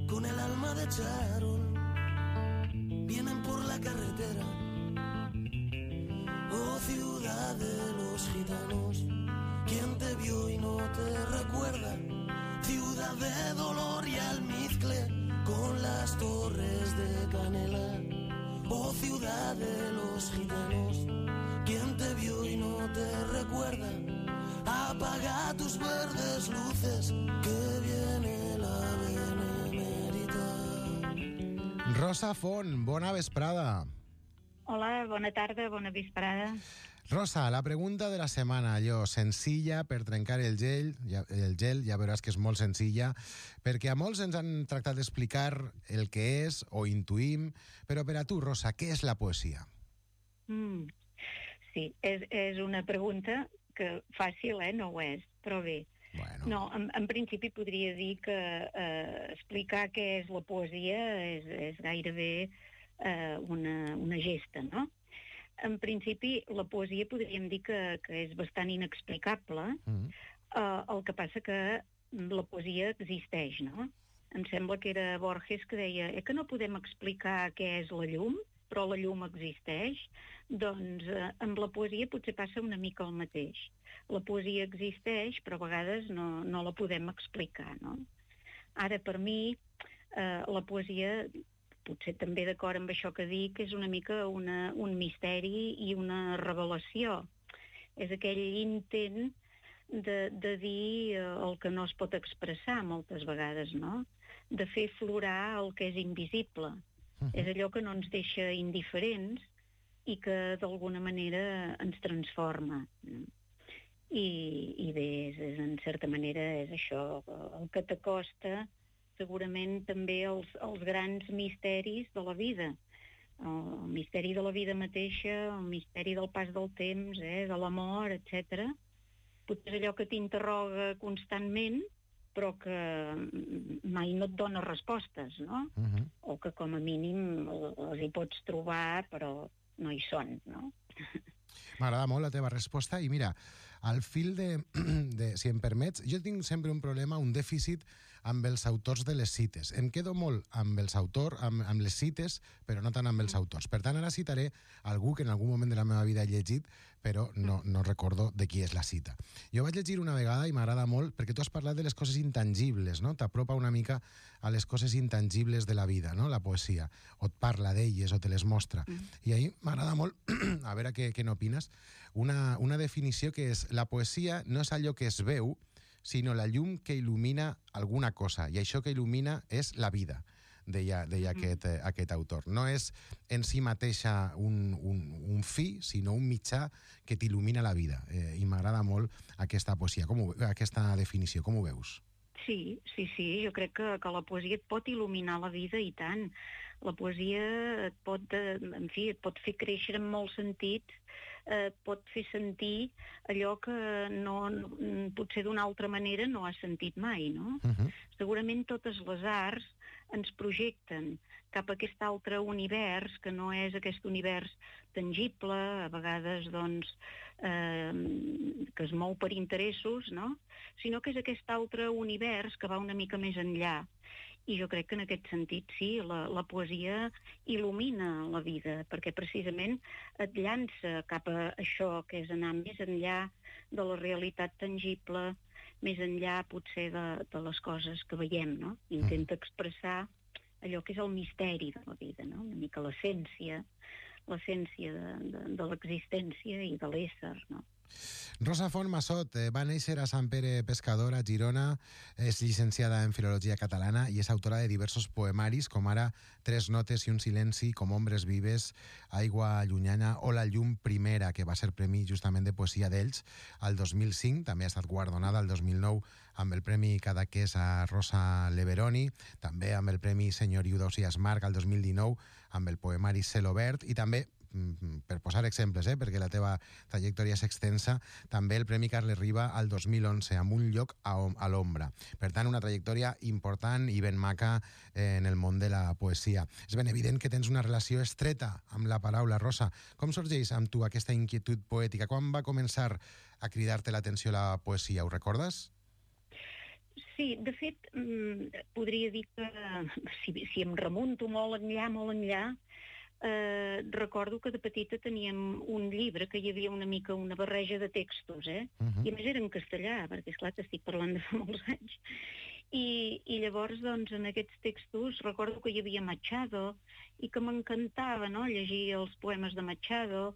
con el alma de charol, vienen por la carretera. Oh, ciudad de los gitanos, ¿quién te vio y no te recuerda? Ciudad de dolor y almizcle, con las torres de canela. Oh, ciudad de los gitanos, ¿quién te vio y no te recuerda? Apaga tus verdes luces, que viene la benemèrita. Rosa Font, bona vesprada. Hola, bona tarda, bona vesprada. Rosa, la pregunta de la setmana, allò, senzilla per trencar el gel, ja veuràs que és molt senzilla, perquè a molts ens han tractat d'explicar el que és o intuïm, però per a tu, Rosa, què és la poesia? Sí, és una pregunta que fàcil, no ho és, però bé. Bueno. No, en principi podria dir que explicar què és la poesia és gairebé una gesta, no? En principi, la poesia podríem dir que és bastant inexplicable. El que passa que la poesia existeix, no? Em sembla que era Borges que deia que no podem explicar què és la llum, però la llum existeix. Doncs amb la poesia potser passa una mica el mateix. La poesia existeix, però a vegades no la podem explicar, no? Ara, per mi, la poesia, potser també d'acord amb això que dic, és una mica un misteri i una revelació. És aquell intent de dir el que no es pot expressar moltes vegades, no? De fer florar el que és invisible. És allò que no ens deixa indiferents i que d'alguna manera ens transforma. I bé, en certa manera és això, el que t'acosta segurament també els grans misteris de la vida. El misteri de la vida mateixa, el misteri del pas del temps, de l'amor, etc. Potser és allò que t'interroga constantment, però que mai no et dona respostes, no? O que com a mínim els hi pots trobar, però no hi són, no? M'agrada molt la teva resposta i mira, al fil de si em permets, jo tinc sempre un problema, un dèficit amb els autors de les cites. Em quedo molt amb els autors, amb les cites, però no tant amb els autors. Per tant, ara citaré algú que en algun moment de la meva vida he llegit, però no recordo de qui és la cita. Jo vaig llegir una vegada i m'agrada molt perquè tu has parlat de les coses intangibles, no? T'apropa una mica a les coses intangibles de la vida, no? La poesia, o et parla d'elles o te les mostra. I ahir m'agrada molt, a veure què n'opines, una definició que és: la poesia no és allò que es veu, sinó la llum que il·lumina alguna cosa, i això que il·lumina és la vida, deia aquest autor. No és en si mateixa un fi, sinó un mitjà que t'il·lumina la vida. I m'agrada molt aquesta poesia, aquesta definició. Com ho veus? Sí, jo crec que la poesia et pot il·luminar la vida i tant. La poesia et pot fer créixer en molts sentits, pot fer sentir allò que potser d'una altra manera no has sentit mai, no? Segurament totes les arts ens projecten cap a aquest altre univers, que no és aquest univers tangible, a vegades doncs que es mou per interessos, no? Sinó que és aquest altre univers que va una mica més enllà. I jo crec que en aquest sentit sí, la poesia il·lumina la vida, perquè precisament et llança cap a això que és anar més enllà de la realitat tangible, més enllà potser de les coses que veiem, no? Intenta expressar allò que és el misteri de la vida, no? Una mica l'essència de l'existència i de l'ésser, no? Rosa Font Massot va néixer a Sant Pere Pescador, a Girona, és llicenciada en Filologia Catalana i és autora de diversos poemaris, com ara Tres notes i un silenci, Com ombres vives, Aigua llunyana o La llum primera, que va ser premi justament de poesia d'Elx al 2005, també ha estat guardonada al 2009 amb el Premi Cadaqués a Rosa Leveroni, també amb el Premi Senyoriu d'Ausiàs Marc al 2019 amb el poemari Cel obert, i també, per posar exemples, perquè la teva trajectòria és extensa, també el Premi Carles Riba al 2011 amb Un lloc a l'ombra. Per tant, una trajectòria important i ben maca en el món de la poesia. És ben evident que tens una relació estreta amb la paraula, Rosa. Com sorgeix amb tu aquesta inquietud poètica? Quan va començar a cridar-te l'atenció la poesia? Ho recordes? Sí, de fet, podria dir que si em remunto molt enllà, recordo que de petita teníem un llibre que hi havia una mica una barreja de textos, I a més era en castellà, perquè esclar t'estic parlant de fa molts anys. I llavors, doncs, en aquests textos recordo que hi havia Machado i que m'encantava, no?, llegir els poemes de Machado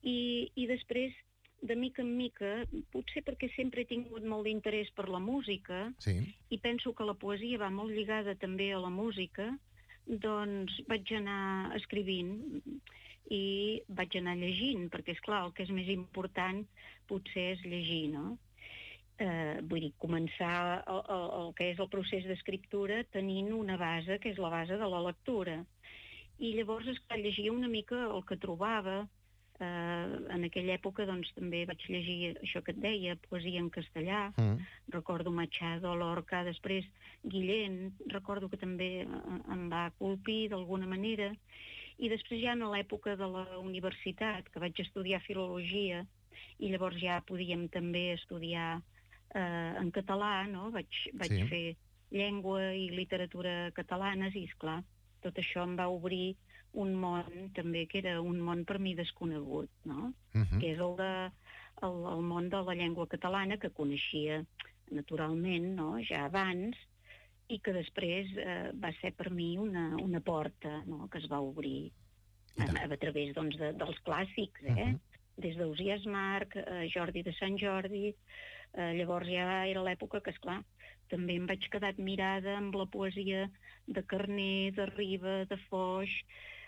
i després, de mica en mica, potser perquè sempre he tingut molt d'interès per la música i penso que la poesia va molt lligada també a la música, doncs vaig anar escrivint i vaig anar llegint, perquè, esclar, el que és més important potser és llegir, no? Vull dir, començar el que és el procés d'escriptura tenint una base, que és la base de la lectura. I llavors, esclar, llegia una mica el que trobava. En aquella època, doncs, també vaig llegir això que et deia, poesia en castellà, recordo Machado, Lorca, després Guillén, recordo que també em va colpir d'alguna manera, i després ja en l'època de la universitat, que vaig estudiar filologia, i llavors ja podíem també estudiar en català, no? Vaig fer llengua i literatura catalanes i, esclar, tot això em va obrir un món també que era un món per mi desconegut, no? Que és el món de la llengua catalana, que coneixia naturalment, no?, ja abans, i que després va ser per mi una porta, no?, que es va obrir a través, doncs, dels clàssics, des d'Ausiàs Marc, Jordi de Sant Jordi. Llavors ja era l'època que, esclar, també em vaig quedar admirada amb la poesia de Carner, de Riba, de Foix,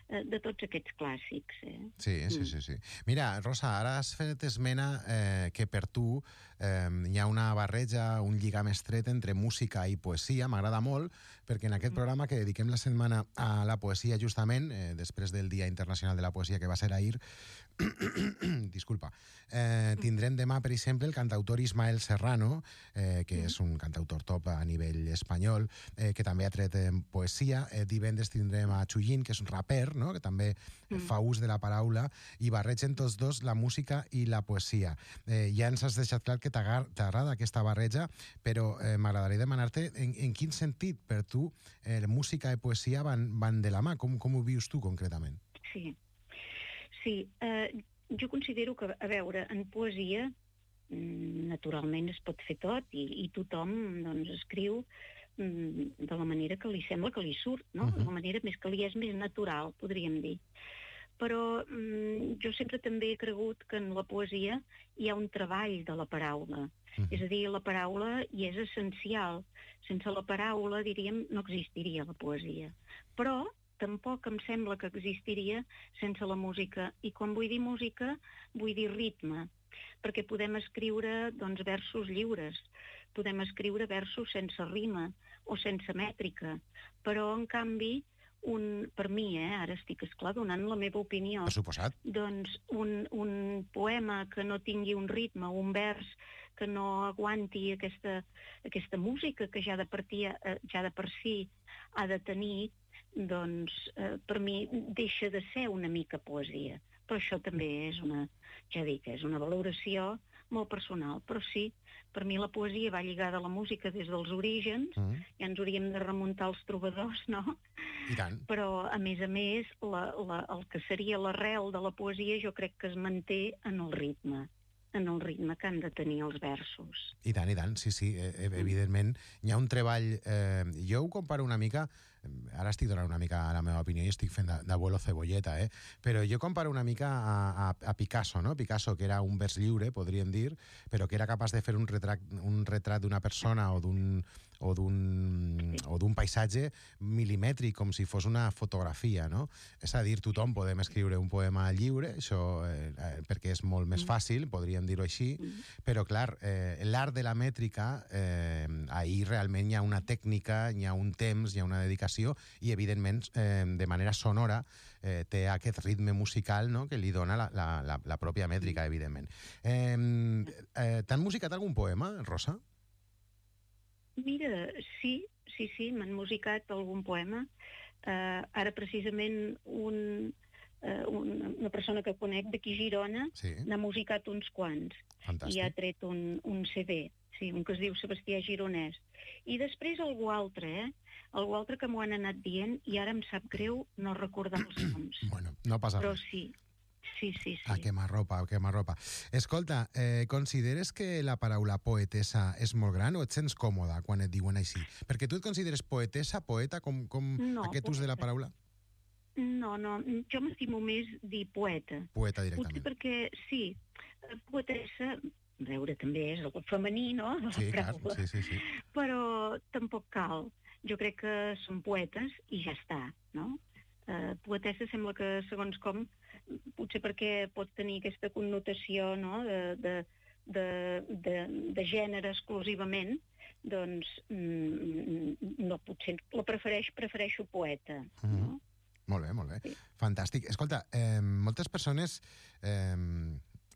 de tots aquests clàssics. Sí. Mira, Rosa, ara has fet esmena que per tu hi ha una barreja, un lligam estret entre música i poesia. M'agrada molt, perquè en aquest programa que dediquem la setmana a la poesia, justament, després del Dia Internacional de la Poesia, que va ser ahir, disculpa, tindrem demà, per exemple, el cantautor Ismael Serrano, que és un cantautor top a nivell espanyol, que també ha tret poesia. Divendres tindrem a Chuyin, que és un raper, no?, que també fa ús de la paraula, i barregen tots dos la música i la poesia. Ja ens has deixat clar que t'agrada aquesta barreja, però m'agradaria demanar-te en quin sentit per tu música i poesia van de la mà. Com ho vius tu concretament? Sí, jo considero que, a veure, en poesia naturalment es pot fer tot i tothom, doncs, escriu de la manera que li sembla que li surt, no? De la manera més que li és més natural, podríem dir. Però jo sempre també he cregut que en la poesia hi ha un treball de la paraula. És a dir, la paraula hi és essencial. Sense la paraula, diríem, no existiria la poesia. Però tampoc em sembla que existiria sense la música. I quan vull dir música, vull dir ritme, perquè podem escriure, doncs, versos lliures, podem escriure versos sense rima o sense mètrica, però, en canvi, per mi, ara estic, esclar, donant la meva opinió, per suposat, doncs un poema que no tingui un ritme, un vers que no aguanti aquesta música que ja de per si ha de tenir, doncs per mi deixa de ser una mica poesia. Però això també és una valoració molt personal. Però sí, per mi la poesia va lligada a la música des dels orígens, ja ens hauríem de remuntar als trobadors, no? I tant. Però, a més, el que seria l'arrel de la poesia jo crec que es manté en el ritme que han de tenir els versos. I tant, sí, evidentment. Hi ha un treball... Jo ho comparo una mica... Ara estic donant una mica la meva opinió i estic fent d'abuelo cebolleta, però jo comparo una mica a Picasso, no? Picasso, que era un vers lliure, podríem dir, però que era capaç de fer un retrat d'una persona o d'un paisatge milimètric, com si fos una fotografia, no? És a dir, tothom podem escriure un poema lliure, això perquè és molt més fàcil, podríem dir-ho així, però, clar, l'art de la mètrica, ahir realment hi ha una tècnica, hi ha un temps, hi ha una dedicació, i, evidentment, de manera sonora, té aquest ritme musical, no?, que li dona la pròpia mètrica, evidentment. T'han musicat algun poema, Rosa? Mira, sí, m'han musicat algun poema. Ara, precisament, un una persona que conec d'aquí a Girona, Sí, n'ha musicat uns quants i ha fantàstic. tret un CD, sí, un que es diu Sebastià Gironès. I després algú altre, algú altre que m'ho han anat dient i ara em sap greu no recordar els noms. Bueno, no passa Però res. sí, sí. A quemarropa, a quemarropa. Escolta, consideres que la paraula poetessa és molt gran o et sents còmoda quan et diuen així? Perquè tu et consideres poetessa, poeta, com No, aquest ús de la poeta. paraula? No, jo m'estimo més dir poeta. Poeta Potser directament. perquè, sí, poetessa, a veure, també és el femení, no?, de la Sí, clar, paraula. sí. Però tampoc cal. Jo crec que són poetes i ja està, no? Poetessa sembla que, segons com, potser perquè pot tenir aquesta connotació, no?, de gènere exclusivament, doncs no, potser la prefereixo poeta, no? Molt bé. Sí. Fantàstic. Escolta, moltes persones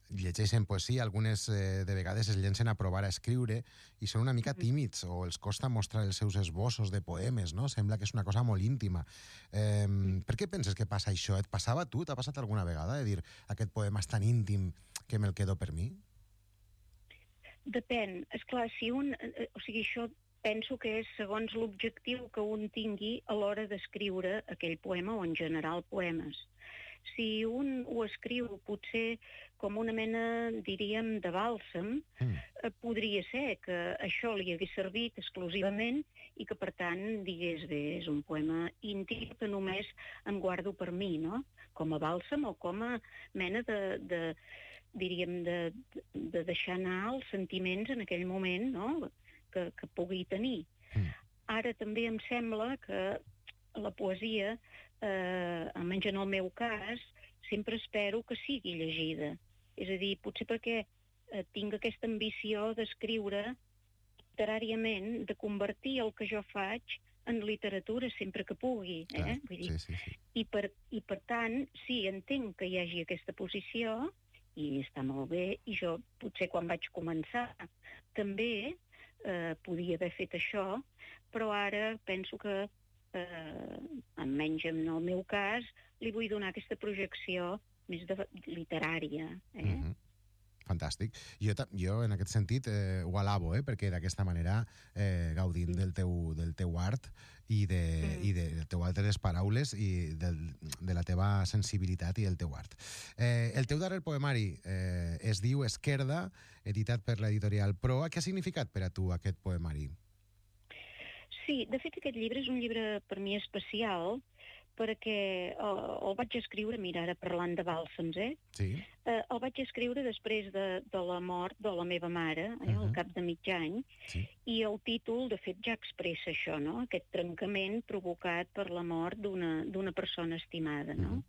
llegeixen poesia, algunes de vegades es llencen a provar a escriure i són una mica tímids o els costa mostrar els seus esbossos de poemes, no? Sembla que és una cosa molt íntima. Per què penses que passa això? Et passava a tu? T'ha passat alguna vegada de dir aquest poema és tan íntim que me'l quedo per mi? Depèn. Esclar, si un... o sigui, això penso que és segons l'objectiu que un tingui a l'hora d'escriure aquell poema o en general poemes. Si un ho escriu potser com una mena, diríem, de bàlsam, podria ser que això li hagués servit exclusivament i que, per tant, digués, bé, és un poema íntim que només em guardo per mi, no? Com a bàlsam o com a mena diríem, de deixar anar els sentiments en aquell moment, no?, que pugui tenir. Ara també em sembla que la poesia, almenys en el meu cas, sempre espero que sigui llegida. És a dir, potser perquè tinc aquesta ambició d'escriure literàriament, de convertir el que jo faig en literatura sempre que pugui. Clar, Vull dir, sí. I per tant, sí, entenc que hi hagi aquesta posició i està molt bé, i jo potser quan vaig començar també podia haver fet això, però ara penso que, almenys en el meu cas, li vull donar aquesta projecció més literària. Fantàstic. Jo en aquest sentit ho alabo, perquè d'aquesta manera gaudint del teu art i del teu art de les paraules i de la teva sensibilitat i el teu art. El teu darrer poemari es diu Esquerda, editat per l'editorial Proa. Què ha significat per a tu aquest poemari? Sí, de fet aquest llibre és un llibre per mi especial perquè el vaig escriure, mira, ara parlant de bàlsams, Sí. El vaig escriure després de la mort de la meva mare, al cap de mig any, Sí. i el títol, de fet, ja expressa això, no?, aquest trencament provocat per la mort d'una persona estimada, no?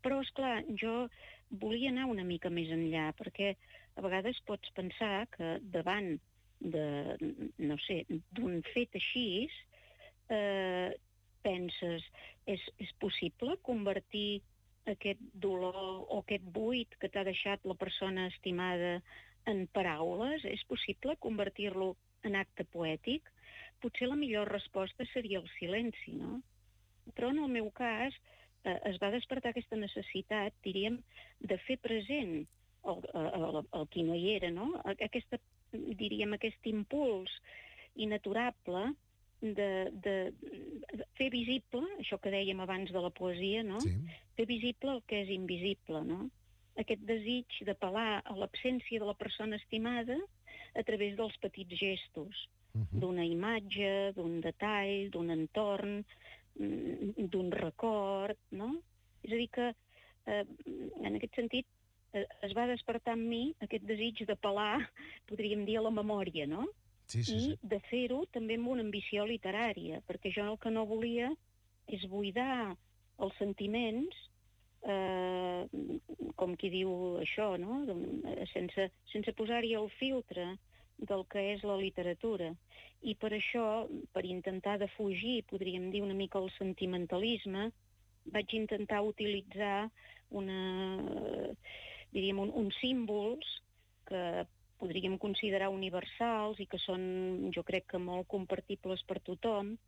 Però, esclar, jo volia anar una mica més enllà, perquè a vegades pots pensar que davant no sé, d'un fet així, penses, és possible convertir aquest dolor o aquest buit que t'ha deixat la persona estimada en paraules? És possible convertir-lo en acte poètic? Potser la millor resposta seria el silenci, no? Però en el meu cas es va despertar aquesta necessitat, diríem, de fer present el qui no hi era, no? Aquest impuls inaturable de fer visible, això que dèiem abans de la poesia, no? Sí. Fer visible el que és invisible, no? Aquest desig d'apel·lar a l'absència de la persona estimada a través dels petits gestos, d'una imatge, d'un detall, d'un entorn, d'un record, no? És a dir que, en aquest sentit, es va despertar en mi aquest desig d'apel·lar, podríem dir, a la memòria, no? Sí. I de fer-ho també amb una ambició literària, perquè jo el que no volia és buidar els sentiments, com qui diu això, no?, sense posar-hi el filtre del que és la literatura. I per això, per intentar defugir, podríem dir, una mica el sentimentalisme, vaig intentar utilitzar uns símbols que podríem considerar universals i que són, jo crec que molt compartibles per tothom,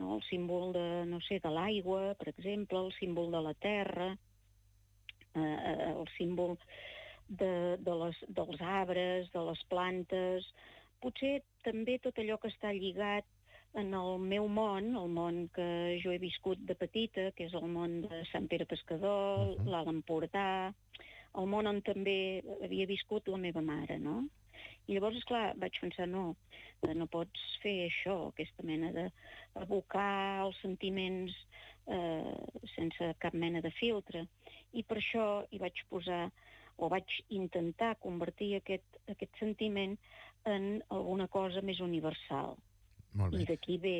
no? El símbol de l'aigua, per exemple, el símbol de la terra, el símbol dels arbres, de les plantes, potser també tot allò que està lligat en el meu món, el món que jo he viscut de petita, que és el món de Sant Pere Pescador, l'Alt Empordà, el món on també havia viscut la meva mare, no? I llavors, esclar, vaig pensar, no pots fer això, aquesta mena d'abocar els sentiments sense cap mena de filtre. I per això hi vaig posar, o vaig intentar convertir aquest sentiment en alguna cosa més universal. Molt bé. I d'aquí ve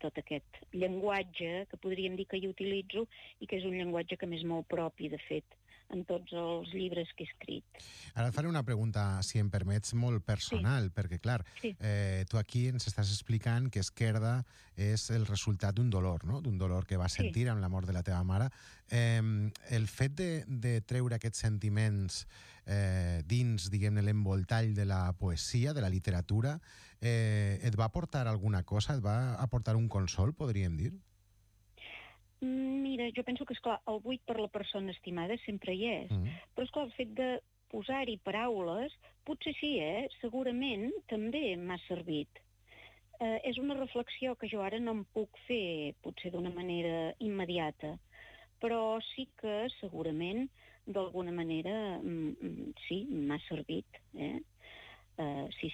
tot aquest llenguatge que podríem dir que hi utilitzo i que és un llenguatge que m'és molt propi, de fet, en tots els llibres que he escrit. Ara et faré una pregunta, si em permets, molt personal, perquè, clar, tu aquí ens estàs explicant que Esquerda és el resultat d'un dolor, no? D'un dolor que vas sentir amb la mort de la teva mare. El fet de treure aquests sentiments dins, diguem-ne, l'envoltall de la poesia, de la literatura, et va aportar alguna cosa? Et va aportar un consol, podríem dir? Mira, jo penso que, esclar, el buit per la persona estimada sempre hi és. Però, esclar, el fet de posar-hi paraules, potser sí, segurament també m'ha servit. És una reflexió que jo ara no em puc fer, potser d'una manera immediata, però sí que segurament, d'alguna manera, sí, m'ha servit.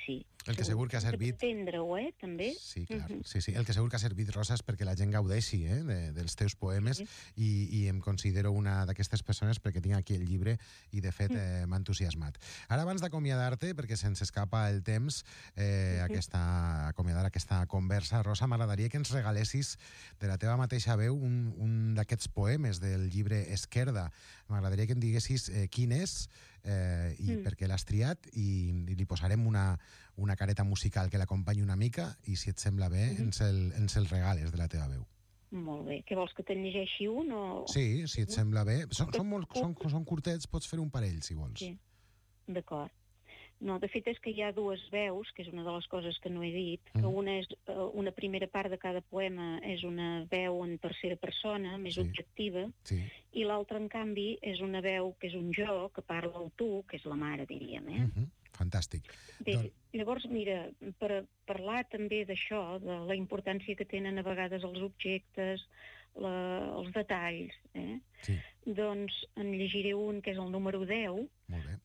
Sí. El que segur que ha servit... Entendre-ho, també. Sí, clar. Sí. El que segur que ha servit, Rosa, és perquè la gent gaudeixi dels teus poemes i em considero una d'aquestes persones perquè tinc aquí el llibre i, de fet, m'ha entusiasmat. Ara, abans d'acomiadar-te, perquè se'ns escapa el temps, acomiadar aquesta conversa, Rosa, m'agradaria que ens regalessis de la teva mateixa veu un d'aquests poemes del llibre Esquerda. M'agradaria que em diguessis quin és i per què l'has triat i li posarem una careta musical que l'acompanyi una mica i, si et sembla bé, ens el regales de la teva veu. Molt bé. Què vols, que te'n llegeixi un o...? Sí, si et sembla bé. Són curtets, pots fer un parell, si vols. Sí, d'acord. No, de fet és que hi ha dues veus, que és una de les coses que no he dit, que una primera part de cada poema és una veu en tercera persona, més objectiva, i l'altra, en canvi, és una veu que és un jo, que parla el tu, que és la mare, diríem, Fantàstic. Bé, llavors, mira, per parlar també d'això, de la importància que tenen a vegades els objectes, els detalls, doncs en llegiré un que és el número 10,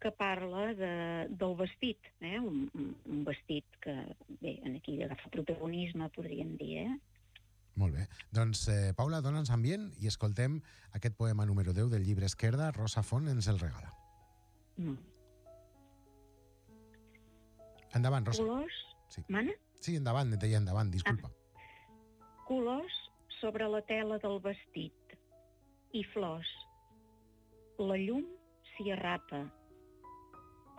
que parla del vestit, un vestit que, bé, aquí agafa protagonisme, podríem dir, Molt bé. Doncs, Paula, dona'ns ambient i escoltem aquest poema número 10 del llibre Esquerda. Rosa Font ens el regala. Endavant, Rosa. Colors... Mana? Sí, endavant, et deia endavant, disculpa. Colors sobre la tela del vestit i flors. La llum s'hi arrapa,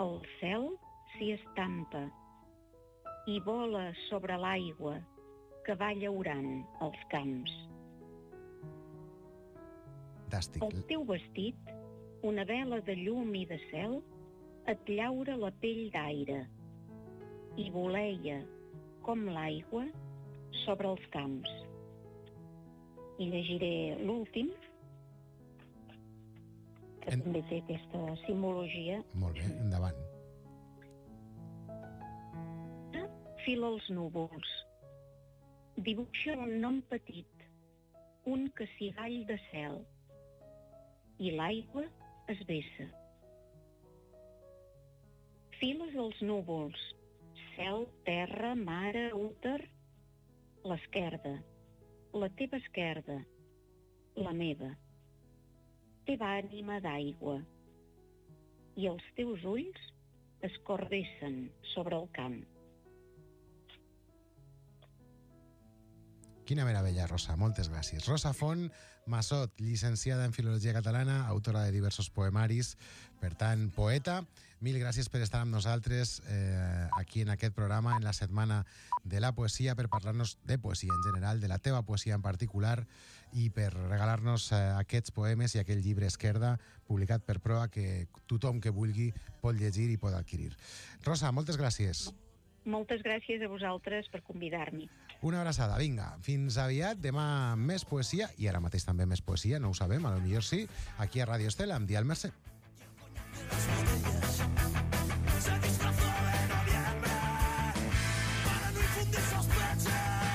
el cel s'hi estampa i vola sobre l'aigua que va llaurant els camps. Fantàstic. El teu vestit, una vela de llum i de cel, et llaura la pell d'aire i voleia, com l'aigua, sobre els camps. I llegiré l'últim, que també té aquesta simbologia. Molt bé, endavant. Fila els núvols. Dibuixa un nom petit, un cassigall de cel, i l'aigua es vessa. Files els núvols, cel, terra, mare, úter, l'esquerda, la teva esquerda, la meva. Teva ànima d'aigua, i els teus ulls es cordessen sobre el camp. Quina meravella, Rosa. Moltes gràcies. Rosa Font Massot, llicenciada en Filologia Catalana, autora de diversos poemaris, per tant, poeta. Mil gràcies per estar amb nosaltres aquí en aquest programa, en la Setmana de la Poesia, per parlar-nos de poesia en general, de la teva poesia en particular, i per regalar-nos aquests poemes i aquell llibre Esquerda, publicat per Proa, que tothom que vulgui pot llegir i pot adquirir. Rosa, moltes gràcies. moltes gràcies a vosaltres per convidar-m'hi. Una abraçada, vinga, fins aviat, demà més poesia, i ara mateix també més poesia, no ho sabem, a lo millor sí, aquí a Radio Estela, amb Dial Mercè.